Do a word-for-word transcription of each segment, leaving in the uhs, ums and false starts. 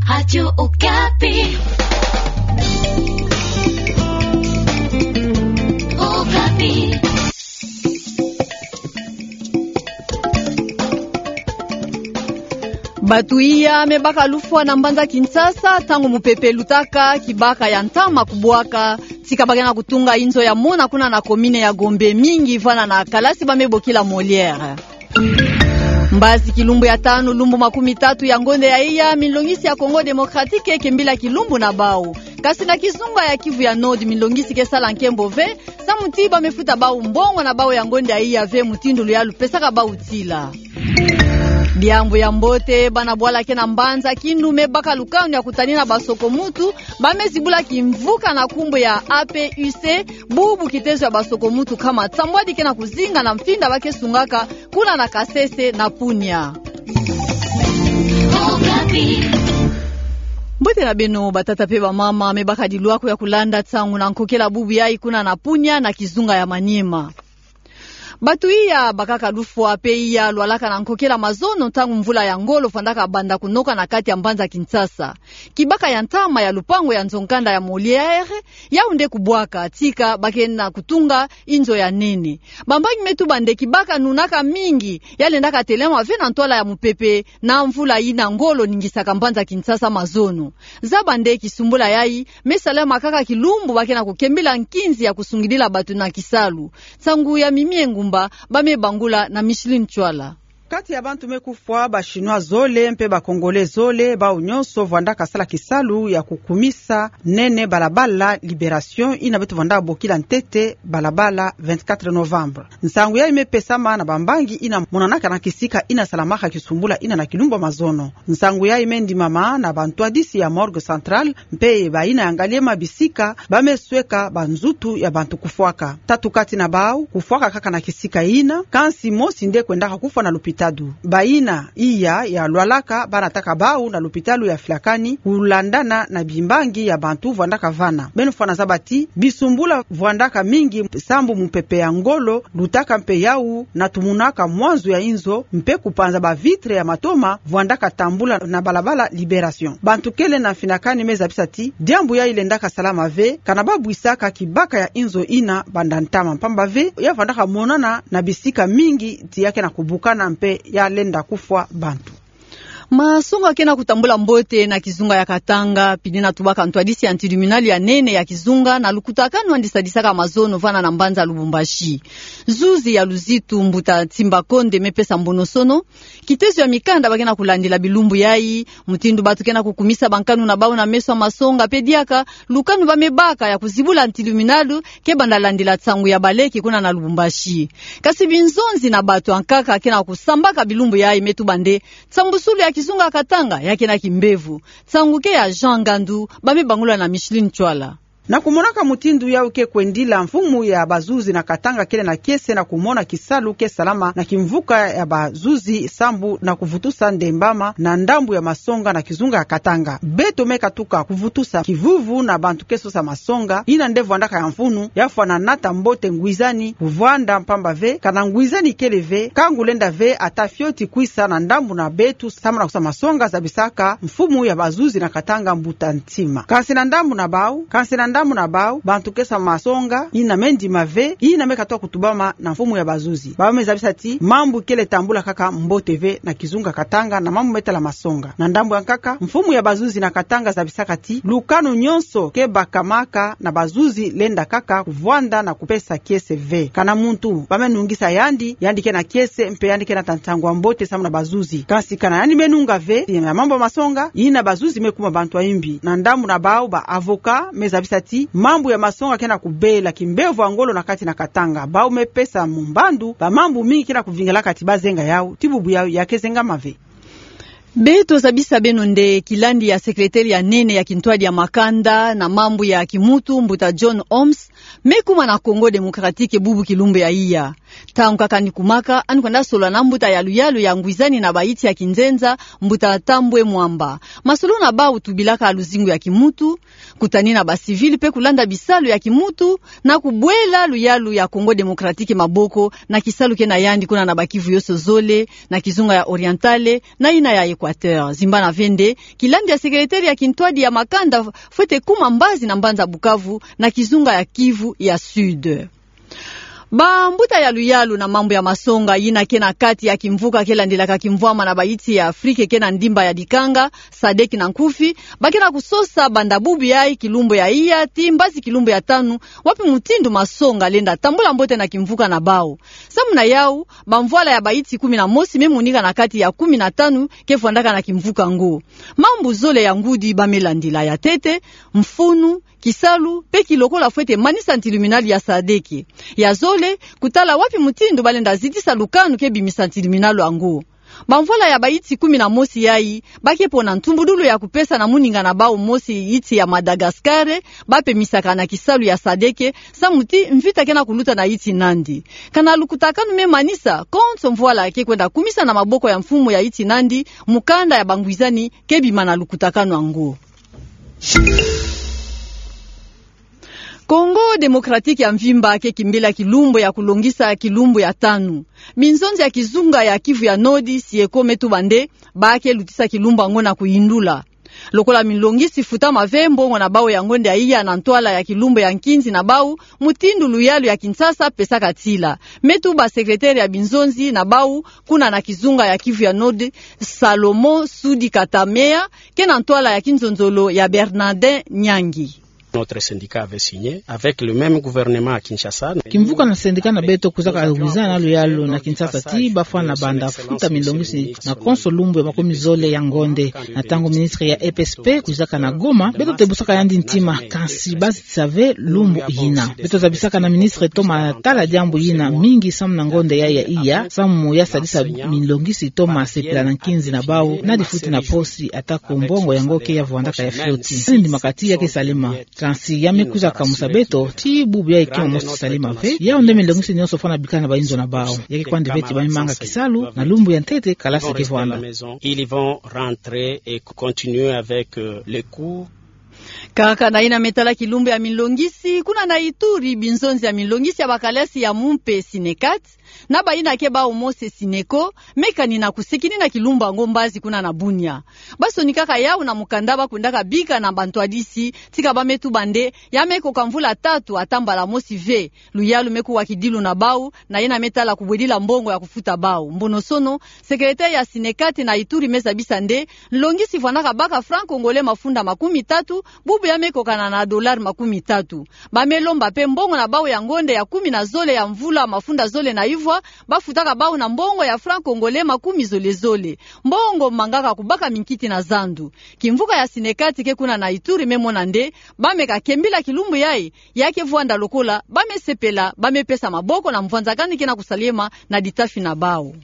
Radio Okapi. Okapi. Bato iya me baka lufwa na mbanza Kinshasa, ntango mopepe lutaka kibaka ya ntama kubwaka, tika ba ke na kutunga inzo ya mona kuna na commune ya Gombe, mingi vana na kalasi ba me bokila Molière. Mbazi kilumbu ya tanu, lumbu makumi tatu ya ngonde ya iya, milongisi ya Congo Démocratique ke mbila kilumbu na bau. Kasi na kizunga ya Kivu ya Nord, milongisi ke sala nkembo ve, samu ti ba me futa bau mbongo na bau ya ngonde ya iya ve, mutindu luyalu pesaka bau tila. Diambu ya mbote, bana bwala ke na mbanza Kindu me baka lukanu ya kutanina basoko-muntu ba me zibula kimvuka na nkumbu ya A P U C, bubu kitezo ya basoko-muntu kama nsambwadi ke na kuzinga na mfinda ba ke sungaka kuna na Kasese na Punia. Mbote na beno batata pe bamama, me baka dilwaku ya kulanda nsangu na nkokela bubu yayi kuna na Punia na kizunga ya Maniema. Bato iya bakaka lufwa pe iya lwalaka na nkokela mazono ntangu mvula ya ngolo fwandaka banda kunoka na kati ya mbanza Kinshasa. Kibaka ya ntama ya lupangu ya nzo-nkanda ya Molière, yau nde kubwaka, tika ba ke na kutunga inzo ya nene. Bambangi me tuba nde kibaka nunaka mingi, ya lendaka telema ve na ntwala ya mopepe, na mvula yina ngolo ningisaka mbanza Kinshasa mazono. Zaba nde kisumbula yayi me salama kaka kilumbu ba ke na kukembila nkinzi ya kusungidila bato na kisalu. Nsangu ya Mimi Engumba, ba me bangula na Micheline Chwala. Kati ya bantu me kufwa, ba Chinois zole mpe ba Congolais zole, bau nyonso vwandaka sala kisalu ya kukumisa nene balabala Libération, yina beto vwanda bokila ntete balabala vingt-quatre novembre. Nsangu yayi me pesama na bambangi yina monanaka na kisika yina salamaka kisumbula yina na kilumbu ya mazono. Nsangu yayi me ndimama na bantwadisi ya Morgue Centrale, mpe bayina ya ngaliema bisika ba me sweka banzutu ya bantu kufwaka. Tatu kati na bau kufwaka kaka na kisika yina, kansi mosi nde kwendaka kufwa na lupitalu. Bayina iya ya lwalaka ba nataka bau na lupitalu ya Flacani, kulandana na bimbangi ya bantu vwandaka vana. Beno fwana zaba ti bisumbula vwandaka mingi sambu mopepe ya ngolo lutaka mpe yau na tumunaka mwanzu ya inzo mpe kupanza ba vitre ya matoma vwandaka tambula na balabala Libération. Bantu kele na mfinakani me zabisa ti diambu yayi lendaka salama ve, kana ba bwisaka kibaka ya inzo yina banda ntama, mpamba ve ya vwandaka monana na bisika mingi ti ya ke na kubukana mpe ya lenda kufwa bantu. Masonga ke na kutambula mbote na kizunga ya Katanga, pili na tubaka ntwadisi ya tribunal ya nene ya kizunga na lukutakanu yandi sadisaka mazono vana na mbanza Lubumbashi. Zuzi ya luzitu, mbuta Tsimba Konde, me pesa mbonosono kitezo ya mikanda ba ke na kulandila bilumbu yayi, mutindu bato ke na kukumisa bankanu na bau na meso ya masonga, mpe diaka lukanu ba me baka ya kuzibula tribunal ke banda landila nsangu ya baleke kuna na Lubumbashi. Kasi binzonzi na bato ankaka ke na kusambaka bilumbu yayi me tuba nde nsambusulu ya kizunga ya Katanga ya ke na kimbevo. Nsangu ke ya Jean Ngandu, ba me bangula na Micheline Chwala. Na kumonaka mutindu yau ke kwendila, mfumu ya bazuzi na Katanga kele na kiese na kumona kisalu ke salama na kimvuka ya bazuzi sambu na kuvutusa ndembama na ndambu ya masonga na kizunga ya Katanga. Beto me katuka kuvutusa kivuvu na bantu ke sosa masonga, yina nde vwandaka ya mfunu, ya fwana nata mbote ngwizani kuvwanda, mpamba ve kana ngwizani kele ve, kangu lenda ve ata fioti kwisa na ndambu na beto samu na kusosa masonga, zabisaka mfumu ya bazuzi na Katanga, mbuta Ntima. Kansi na ndambu na bau, kansi na ndambu na bau, bantu ke sosa masonga yina me ndima ve yina me katuka kutubama na mfumu ya bazuzi. Bau me zabisa ti mambu kele tambula kaka mbote ve na kizunga Katanga na mambu me tala masonga. Na ndambu ya nkaka, mfumu ya bazuzi na Katanga zabisaka ti lukanu nyonso ke bakamaka na bazuzi lenda kaka kuvwanda na kupesa kiese ve. Kana muntu ba me nungisa yandi, yandi ke na kiese mpe yandi ke nata nsangu ya mbote samu na bazuzi. Kansi kana yandi me nunga ve, na mambu ya masonga, yina bazuzi me kuma bantu ya imbi. Na ndambu na bau, ba avocat me zabisa ti mambu ya masonga ke na kubela kimbevo ya ngolo na kati na Katanga. Bau me pesa mumbandu ba mambu mingi ke na kuvingilaka ti ba zenga yau, ti bubu yau ya ke zengama ve. Beto zabisa beno nde kilandi ya secrétaire ya nene ya kintwadi ya makanda na mambu ya kimuntu, mbuta John Holmes, me kuma na Congo Démocratique bubu kilumbu ya iya. Ntangu kaka yandi kumaka, yandi kwenda solola na mbuta ya luyalu ya ngwizani na bayinti ya kinzenza, mbuta Tambwe Mwamba. Masolo na bau tubilaka luzingu ya kimuntu, kutanina ba civil mpe kulanda bisalu ya kimuntu, na kubwela luyalu ya Congo Démocratique maboko na kisalu ke na yandi kuna na ba Kivu yoso zole, na kizunga ya Orientale, na yina ya Equateur. Zimbana ve nde, kilandi ya sekretere ya kintwadi ya makanda fwete kuma mbazi na mbanza Bukavu, na kizunga ya Kivu ya Sud. Bambuta ya luyalu na mambu ya masonga yina ke na kati ya kimvuka ke landilaka kimvwama na bayitsi ya Afrique ke na ndimba ya dikanga, sadec na nkufi, ba ke na kusosa banda bubu yayi kilumbu ya iya tii mbazi kilumbu ya tanu, wapi mutindu masonga lenda tambula mbote na kimvuka na bawu. Samu na yawu, bamvwala ya bayitsi kumi na mosi me monika na kati ya kumi na tanu ke vwandaka na kimvuka ngo. Mambu zole ya ngudi ba me landila: ya ntete, mfunu, kisalu, mpe kilokola fwete manisa ntiluminali ya sadec. Ya zole, kutala wapi mutindu ba lenda zitisa lukanu ke bimisa ntiluminali yango. Bamvwala ya bayitsi kumi na mosi yayi, ba ke pona ntumbudulu ya kupesa na muninga na bawu mosi yitsi ya Madagascar, ba pemisaka na kisalu ya sadec, samu ti mvita ke na kuluta na yitsi nandi. Kana lukutakanu me manisa, konso mvwala ke kwenda kumisa na maboko ya mfumu ya yitsi nandi, mukanda ya bangwizani ke bima na lukutakanu yango. Congo Démocratique ya mvimba ke kimbila kilumbu ya kulongisa kilumbu ya tanu. Minzonzi ya kizunga ya Kivu ya Nord, SIECO, me tuba nde ba ke lutisa kilumbu yango na kuyindula. Lokola milongisi futama ve, mbongo na bawu ya ngonde ya iya na ntwala ya kilumbu ya nkinzi na bawu, mutindu luyalu ya Kinshasa pesaka tila. Me tuba sekretere ya binzonzi na bawu kuna na kizunga ya Kivu ya Nord, Salomon Sudi Katamea, ke na ntwala ya kinzonzolo ya Bernardin Nyangi. Notre syndicat avait signé avec le même gouvernement à Kinshasa. Kimvuka na sendika na beto kwizaka wizana na luyalu na Kinshasa ti ba fwana banda futa milongisi na konso lumbu ya makumi zole ya ngonde. Na ntangu ministre ya E P S P kwizaka na Goma, beto tebusaka yandi ntima, kansi ba zitisa ve lumbu yina. Beto zabisaka na ministre toma tala diambu yina mingi samu na ngonde ya ya iya, samu ya sadisa milongisi toma sepela na nkinzi na bawu, na difuti na posi, atako mbongo yango ke ya vwandaka ya fioti. Ndimaka ti ya ke salema. Kansi ya me kwiza kamusa beto ti bubu yayi ke mosi salema ve. Yawu nde milongisi nyonso fwana bikana bayinzo na bawu. Ya ke kwandi ve ti ba me manga kisalu, na lumbu ya ntete kalasi ke vwanda. Ils vont rentrer et continuer avec, euh, les cours. Kaka na yina me tala kilumbu ya milongisi, kuna na Ituri, binzonzi ya milongisi ya bakalasi ya mumpe SYNECAT, na bayina ke bawu mosi SYNECO, me kani na kusekini na kilumbu yango mbazi kuna na Bunia. Ba sonikaka yawu na mukanda ba kwendaka bika na bantwadisi, tika ba me tuba nde ya me koka mvula tatu ata mbala mosi ve. Luyalu me kuwa kidilu na bawu, na yina me tala kubwedila mbongo ya kufuta bawu. Mbonosono, sekretere ya SYNECAT na Ituri me zabisa nde, nlongisi vwandaka baka franc congolais mafunda makumi tatu, bubu ya me kokana na dollar makumi tatu. Ba me lomba mpe mbongo na bawu ya ngonde ya kumi na zole ya mvula mafunda zole na ivwa, ba futaka bawu na mbongo ya franc congolais makumi zole zole. Mbongo mangaka kubaka minkiti na zandu. Kimvuka ya SYNECAT ke kuna na Ituri me mona nde, ba me kakembila kilumbu yayi, ya ke vwanda lokola ba me sepela, ba me pesa maboko na mvwanzakani ke na kusalema na ditafi na bawu.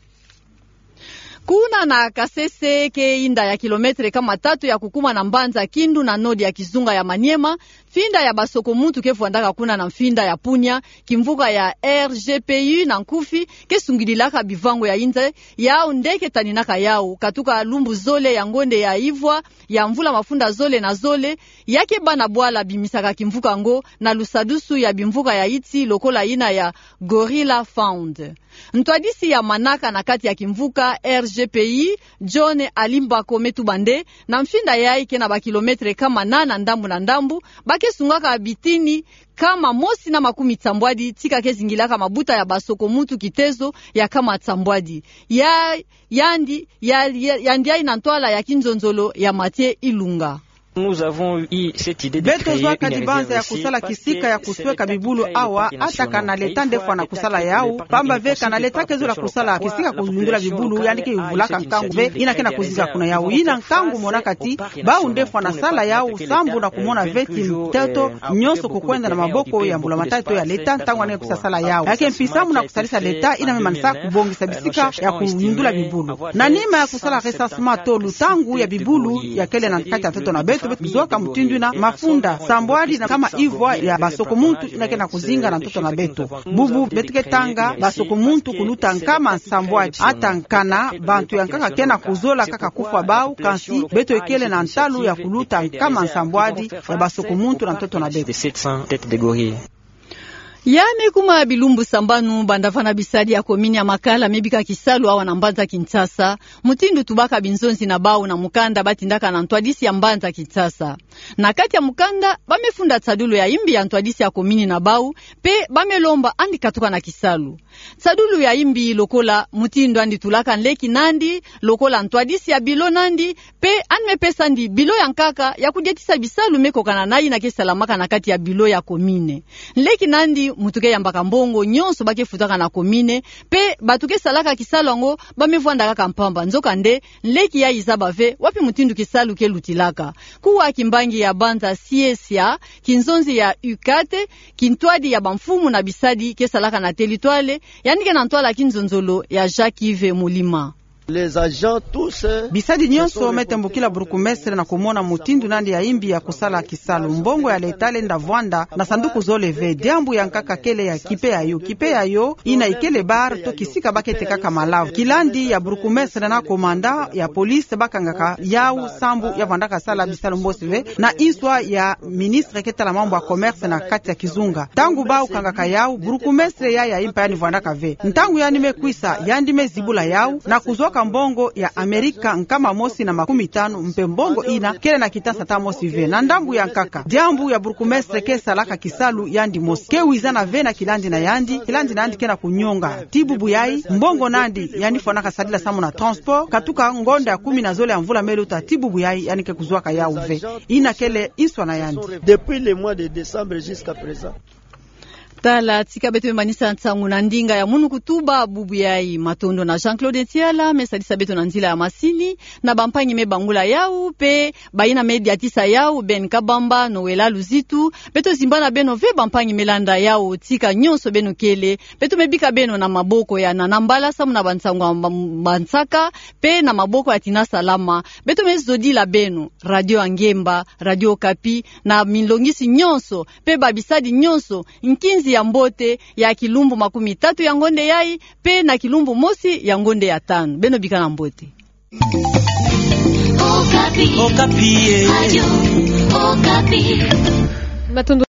Kuna na Kasese, ke inda ya kilometre kama tatu ya kukuma na mbanza Kindu na nord ya kizunga ya Maniema, mfinda ya basoko-muntu ke vwandaka kuna na mfinda ya Punia, kimvuka ya R G P U na nkufi, ke sungidilaka bivango ya inza, yawu nde ke taninaka yawu, katuka lumbu zole ya ngonde ya ivwa, ya mvula mafunda zole na zole, ya ke bâ na bwala bimisaka kimvuka ngo na lusadusu ya bimvuka ya yitsi lokola yina ya Gorilla Fund. Ntwadisi ya manaka na kati ya kimvuka R G P U, John Alimbako me tuba nde, na mfinda yayi ke na ba kilometre kama nana ndambu na ndambu, ba ke sungaka bitini kama mosi na makumi tsambwadi, tika ke zingilaka mabuta ya basoko-muntu kitezo ya kama tsambwadi. Ya, yandi, ya, ya, yandi yayi na ntwala ya kinzonzolo ya Mathieu Ilunga. Beto zwa kadi banza ya kusala kisika ya kusweka bibulu awa, ata kana leta nde fwana kusala yawu, pamba ve kana leta ke zola kusala kisika kuyundula bibulu, yandi ke yuvulaka nkangu ve yina ke na kuzinga kuna yawu. Yina nkangu monaka ti bawu nde fwana sala yawu, sambu na kumona ve ti ntoto nyonso kukwenda na maboko ya mbulamatari to ya leta, ntangu yandi ke kwiza sala yawu. Ya ke mpisambu na kusalisa leta, yina me manisa kubongisa bisika ya kuyundula bibulu. Na nima ya kusala recensement to lutangu ya bibulu ya kele na kati ya ntoto na beto, beto zwaka mutindu yina mafunda sambwadi na kama ivwa ya basoko-muntu yina ke na kuzinga na ntoto na beto. Bubu beto ke tanga basoko-muntu kuluta nkama nsambwadi. Ata kana bantu ya nkaka ke na kuzola kaka kufwa bawu, kansi beto ikele na ntalu ya kuluta nkama nsambwadi ya basoko-muntu na ntoto na beto. Ya me kuma bilumbu sambanu banda vana bisadi ya komini ya Makala me bika kisalu awa na mbanza Kinshasa, mutindu tubaka binzonzi na bau na mukanda ba tindaka na ntwadisi ya mbanza Kinshasa. Na kati ya mukanda, ba me funda tsadulu ya imbi ya ntwadisi ya komini na bau, pe ba me lomba andi katuka na kisalu. Tsadulu ya imbi lokola mutindu andi tulaka nleki nandi, lokola ntwadisi ya bilo nandi, pe andi me pesa andi bilo ya nkaka ya kudiatisa bisalu me kokana na ina ke salamaka na kati ya bilo ya komini. Nleki nandi mutu ke yambaka mbongo nyonso ba ke futaka na komini, pe batu ke salaka kisalu yango ba me vwanda kaka mpamba. Nzokande, nleki yayi zaba ve wapi mutindu kisalu ke lutilaka. Kuwa kimbangi ya banza Siesia, kinzonzi ya UCAT, kintwadi ya bamfumu na bisadi ke salaka na teritware, yandi ke na ntwala kinzonzolo ya Jacques-Yves Mulima. Les agents tous, euh, Bisadi nyonso me tembukila burkumestre na kumona mutindu nandi ya imbi ya kusala kisalu. Mbongo ya leta lenda vwanda na sanduku zole ve. Diambu ya nkaka kele ya kipe yayo. Kipe yayo ina ikele bar to kisika ba ke tekaka malavu. Kilandi ya burkumestre na komanda ya police ba kangaka yau sambu ya vwandaka sala bisalu mosi ve, na inswa ya ministre ke tala mambu ya commerce na kati ya kizunga. Ntangu bau kangaka yau, burkumestre ya, ya impa yandi vwandaka ve. Ntangu yandi me kwisa, yandi me zibula yau na kuzwaka mbongo ya Amerika nkama mosi na makumi tanu, mpe mbongo ina kele na kitansa ata mosi ve. Na ndambu ya nkaka, diambu ya burkumestre ke salaka kisalu yandi mosi. Ke wizana ve na kilandi na yandi, kilandi na yandi ke na kunyonga. Ti bubu yayi, mbongo nandi yandi fwanaka sadila samu na transport, katuka ngonda ya kumi na zole ya mvula me luta, ti bubu yayi yandi ke kuzwaka yau ve. Ina kele inswa na yandi. Depuis le mois de décembre jusqu'à présent. Tala, tika beto me manisa nsangu na ndinga ya munu kutuba bubu yayi. Matondo na Jean-Claude Ntiala me sadisa beto na nzila ya masini, na bampangi me bangula yau, pe bayina me diatisa yau, Ben Kabamba, Noëlla Luzitu. Beto zimbana beno ve bampangi me landa yau, tika nyonso beno kele. Beto me bika beno na maboko ya Nana Mbala samu na bansangu ya mba-, bansaka, pe na maboko ya Tina Salama. Beto me zodila beno Radio ya Ngemba, Radio Okapi, na minlongisi nyonso, pe babisadi nyonso, nkinzi ya mbote ya kilumbu makumi tatu ya ngonde yayi, pe na kilumbu mosi ya ngonde ya tanu. Beno bikana mbote. Okapi. Okapi, eh. Radio Okapi. Matondo.